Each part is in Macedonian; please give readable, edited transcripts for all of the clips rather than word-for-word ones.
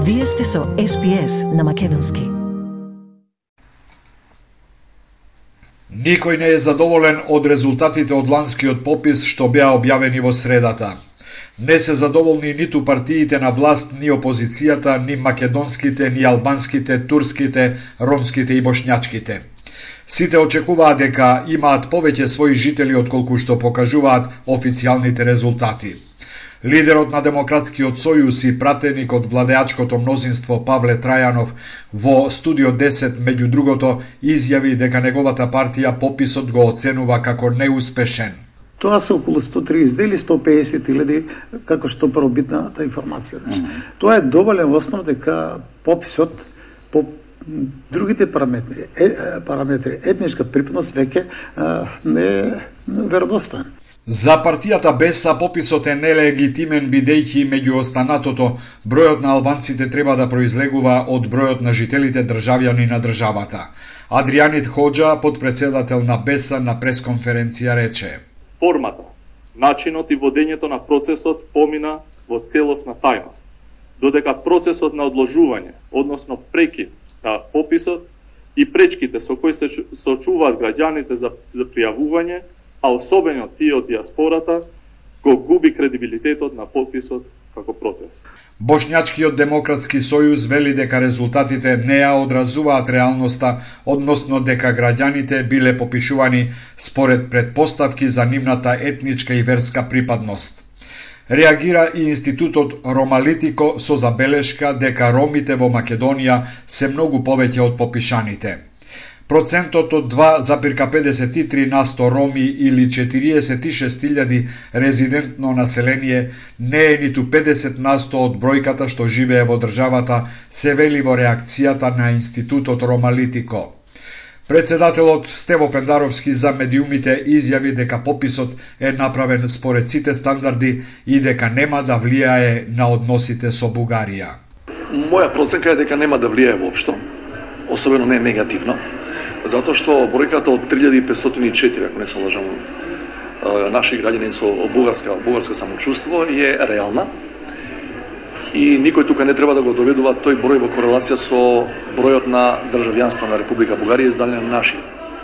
Вие сте со SPS на македонски. Никој не е задоволен од резултатите од ланскиот попис што беа објавени во средата. Не се задоволни ниту партиите на власт, ни опозицијата, ни македонските, ни албанските, турските, ромските и бошњачките. Сите очекуваат дека имаат повеќе своји жители отколку што покажуваат официјалните резултати. Лидерот на Демократскиот сојуз и пратеник од владеачкото мнозинство Павле Трајанов во Студио 10 меѓу другото изјави дека неговата партија пописот го оценува како неуспешен. Тоа се околу 132 или 150 илјади, како што првобитната информација. Тоа е доволен основ дека пописот по другите параметри етничка припадност веќе не е веродостоен. За партијата БЕСА пописот е нелегитимен бидејќи меѓу останатото бројот на албанците треба да произлегува од бројот на жителите државјани на државата. Адријанит Хоџа, подпредседател на БЕСА, на пресконференција рече: Формата, начинот и водењето на процесот помина во целосна тајност, додека процесот на одложување, односно прекид на пописот и пречките со кои се соочуваат граѓаните за пријавување, а особено тие од диаспората, го губи кредибилитетот на пописот како процес. Бошњачкиот демократски сојуз вели дека резултатите не ја одразуваат реалноста, односно дека граѓаните биле попишувани според претпоставки за нивната етничка и верска припадност. Реагира и институтот Ромалитико со забелешка дека ромите во Македонија се многу повеќе од попишаните. Процентот од 2,53% роми или 46.000 резидентно население не е ниту 50% од бројката што живее во државата, се вели во реакцијата на институтот Ромалитико. Председателот Стево Пендаровски за медиумите изјави дека пописот е направен според сите стандарди и дека нема да влијае на односите со Бугарија. Моја проценка е дека нема да влијае воопшто, особено не негативно, затоа што бројката од 3504, ако не се лажам, наши граѓани со бугарска самочувство е реална и никој тука не треба да го доведува тој број во корелација со бројот на државјанство на Република Бугарија издадено на наши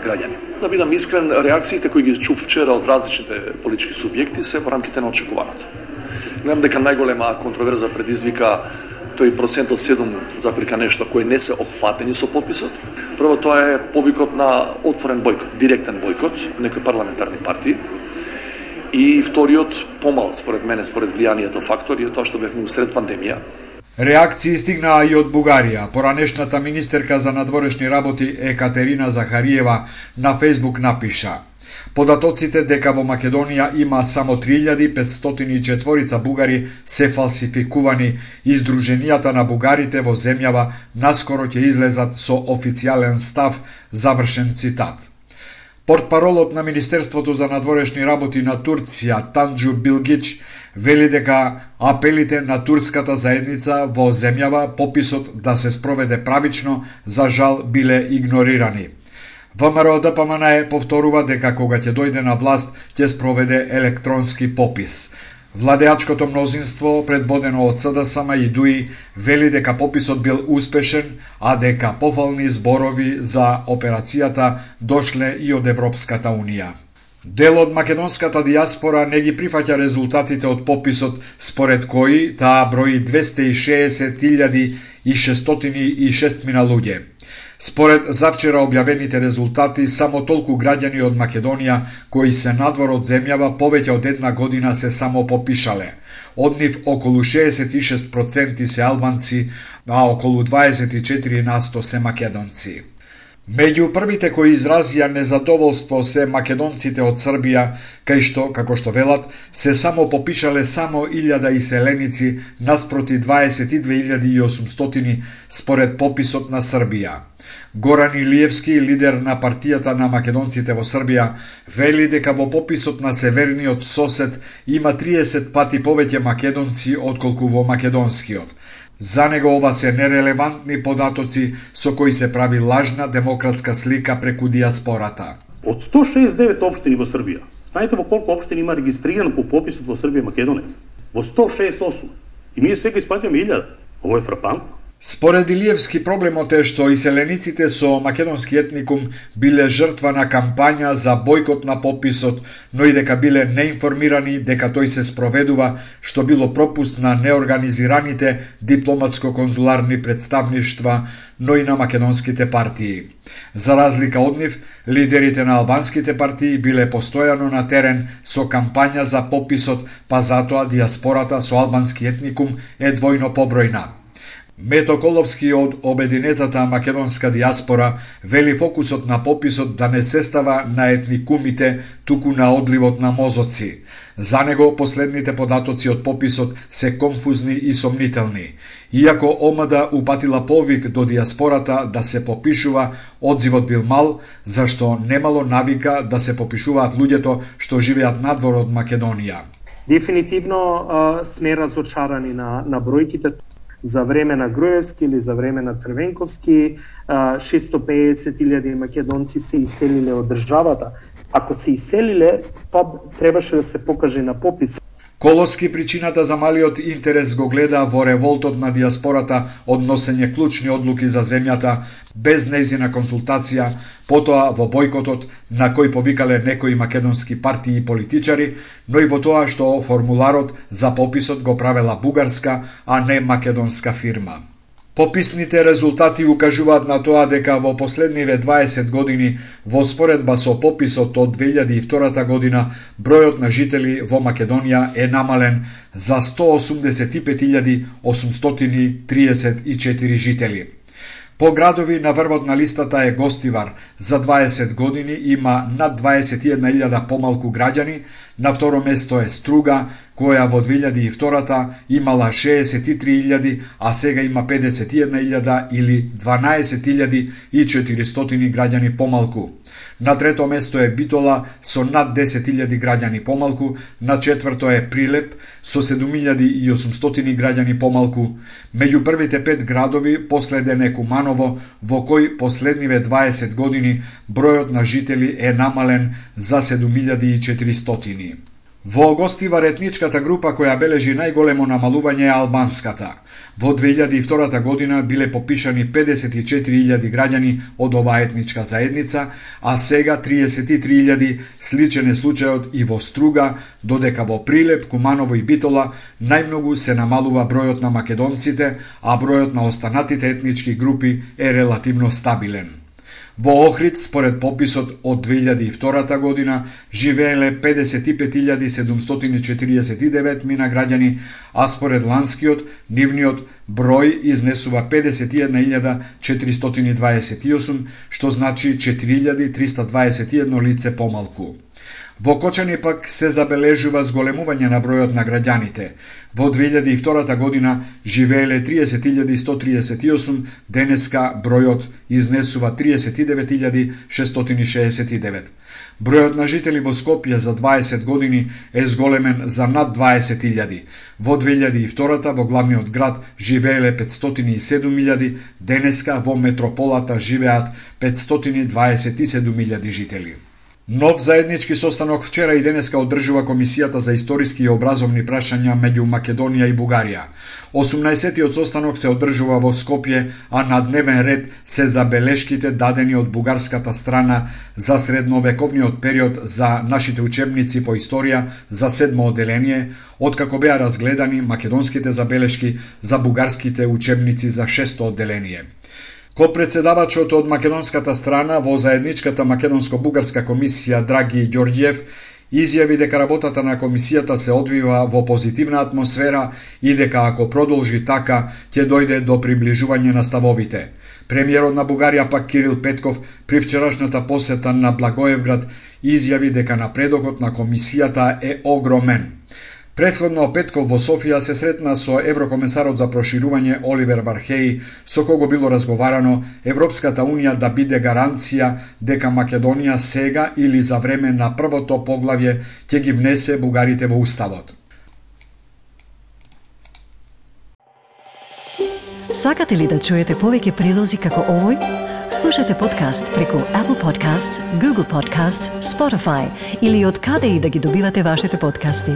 граѓани. Да бидам искрен, реакциите кои ги чув вчера од различните политички субјекти се во рамките на очекуваното. Гледам дека најголема контроверза предизвика тој процент од 7, нешто кои не се опфатени со пописот. Прво, тоа е повикот на отворен бојкот, директен бојкот некои парламентарни партии. И вториот, помал според мене, според влијанието фактор, е тоа што бевме усред пандемија. Реакции стигнаа и од Бугарија. Поранешната министерка за надворешни работи Екатерина Захариева на Фејсбук напиша: податоците дека во Македонија има само 3504 бугари се фалсификувани и Сдруженијата на бугарите во земјава наскоро ќе излезат со официјален став, завршен цитат. Портпаролот на Министерството за надворешни работи на Турција, Танџу Билгич, вели дека апелите на турската заедница во земјава пописот да се спроведе правично, за жал биле игнорирани. ВМРО ДПМН повторува дека кога ќе дојде на власт ќе спроведе електронски попис. Владеачкото мнозинство, предводено од СДСМ и ДУИ, вели дека пописот бил успешен, а дека пофални зборови за операцијата дошле и од Европската Унија. Дел од македонската диаспора не ги прифаќа резултатите од пописот, според кои таа брои 260.606 луѓе. Според завчера објавените резултати, само толку граѓани од Македонија кои се надвор од земјава повеќе од една година се само попишале. Од нив околу 66% се албанци, а околу 24% се македонци. Меѓу првите кои изразија незадоволство се македонците од Србија, кај што, како што велат, се само попишале само 1000 иселеници наспроти 22.800 според пописот на Србија. Горан Илиевски, лидер на партијата на македонците во Србија, вели дека во пописот на северниот сосед има 30 пати повеќе македонци отколку во македонскиот. За него ова се нерелевантни податоци со кои се прави лажна демократска слика преку диаспората. Од 169 општини во Србија, знаете во колку општини има регистрирано по пописот во Србија македонец? Во 168. И ние сега исплаќаме 1000. Ово е фрапантно. Според Илиевски, проблемот е што иселениците со македонски етникум биле жртва на кампања за бојкот на пописот, но и дека биле неинформирани дека тој се спроведува, што било пропуст на неорганизираните дипломатско-конзуларни представништва, но и на македонските партии. За разлика од нив, лидерите на албанските партии биле постојано на терен со кампања за пописот, па затоа диаспората со албански етникум е двојно побројна. Мето Коловски од Обединетата македонска диаспора вели фокусот на пописот да не се става на етникумите, туку на одливот на мозоци. За него последните податоци од пописот се конфузни и сомнителни. Иако ОМД упатила повик до диаспората да се попишува, одзивот бил мал, зашто немало навика да се попишуваат луѓето што живеат надвор од Македонија. Дефинитивно сме разочарани на бројките. За време на Груевски или за време на Црвенковски 650.000 македонци се иселиле од државата. Ако се иселиле, па требаше да се покаже на попис. Коловски причината за малиот интерес го гледа во револтот на диаспората од носење клучни одлуки за земјата, без нејзина консултација, потоа во бојкотот на кој повикале некои македонски партии и политичари, но и во тоа што формуларот за пописот го правела бугарска, а не македонска фирма. Пописните резултати укажуваат на тоа дека во последниве 20 години, во споредба со пописот од 2002 година, бројот на жители во Македонија е намален за 180.834 жители. По градови на врвот на листата е Гостивар, за 20 години има над 21.000 помалку граѓани, на второ место е Струга, која во 2002 имала 63.000, а сега има 51.000 или 12.400 граѓани помалку. На трето место е Битола со над 10.000 граѓани помалку, на четврто е Прилеп со 7.800 граѓани помалку. Меѓу првите 5 градови последен е Куманово, во кој последниве 20 години бројот на жители е намален за 7.400. Во Гостивар етничката група која бележи најголемо намалување е албанската. Во 2002 година биле попишани 54.000 граѓани од оваа етничка заедница, а сега 33.000, сличен е случајот и во Струга, додека во Прилеп, Куманово и Битола најмногу се намалува бројот на македонците, а бројот на останатите етнички групи е релативно стабилен. Во Охрид, според пописот од 2002 година, живееле 55.749 мина граѓани, а според ланскиот, нивниот број изнесува 51.428, што значи 4.321 лице помалку. Во Кочани пак се забележува зголемување на бројот на граѓаните. Во 2002 година живееле 30.138, денеска бројот изнесува 39.669. Бројот на жители во Скопје за 20 години е зголемен за над 20.000. Во 2002 во главниот град живееле 507.000, денеска во метрополата живеат 527.000 жители. Нов заеднички состанок вчера и денеска одржува Комисијата за историски и образовни прашања меѓу Македонија и Бугарија. 18-тиот состанок се одржува во Скопје, а на дневен ред се забелешките дадени од бугарската страна за средновековниот период за нашите учебници по историја за 7 одделение, откако беа разгледани македонските забелешки за бугарските учебници за 6 одделение. Ко-председавачот од македонската страна во заедничката македонско-бугарска комисија Драги Ѓорѓиев изјави дека работата на комисијата се одвива во позитивна атмосфера и дека ако продолжи така, ќе дојде до приближување на ставовите. Премиерот на Бугарија пак Кирил Петков при вчерашната посета на Благоевград изјави дека напредокот на комисијата е огромен. Претходно Петков во Софија се сретна со еврокомесарот за проширување Оливер Вархеи, со кого било разговарано Европската Унија да биде гаранција дека Македонија сега или за време на првото поглавје ќе ги внесе бугарите во уставот. Сакате ли да чуете повеќе прилози како овој? Слушате подкаст преку Apple Podcasts, Google Podcasts, Spotify или од каде и да ги добивате вашите подкасти.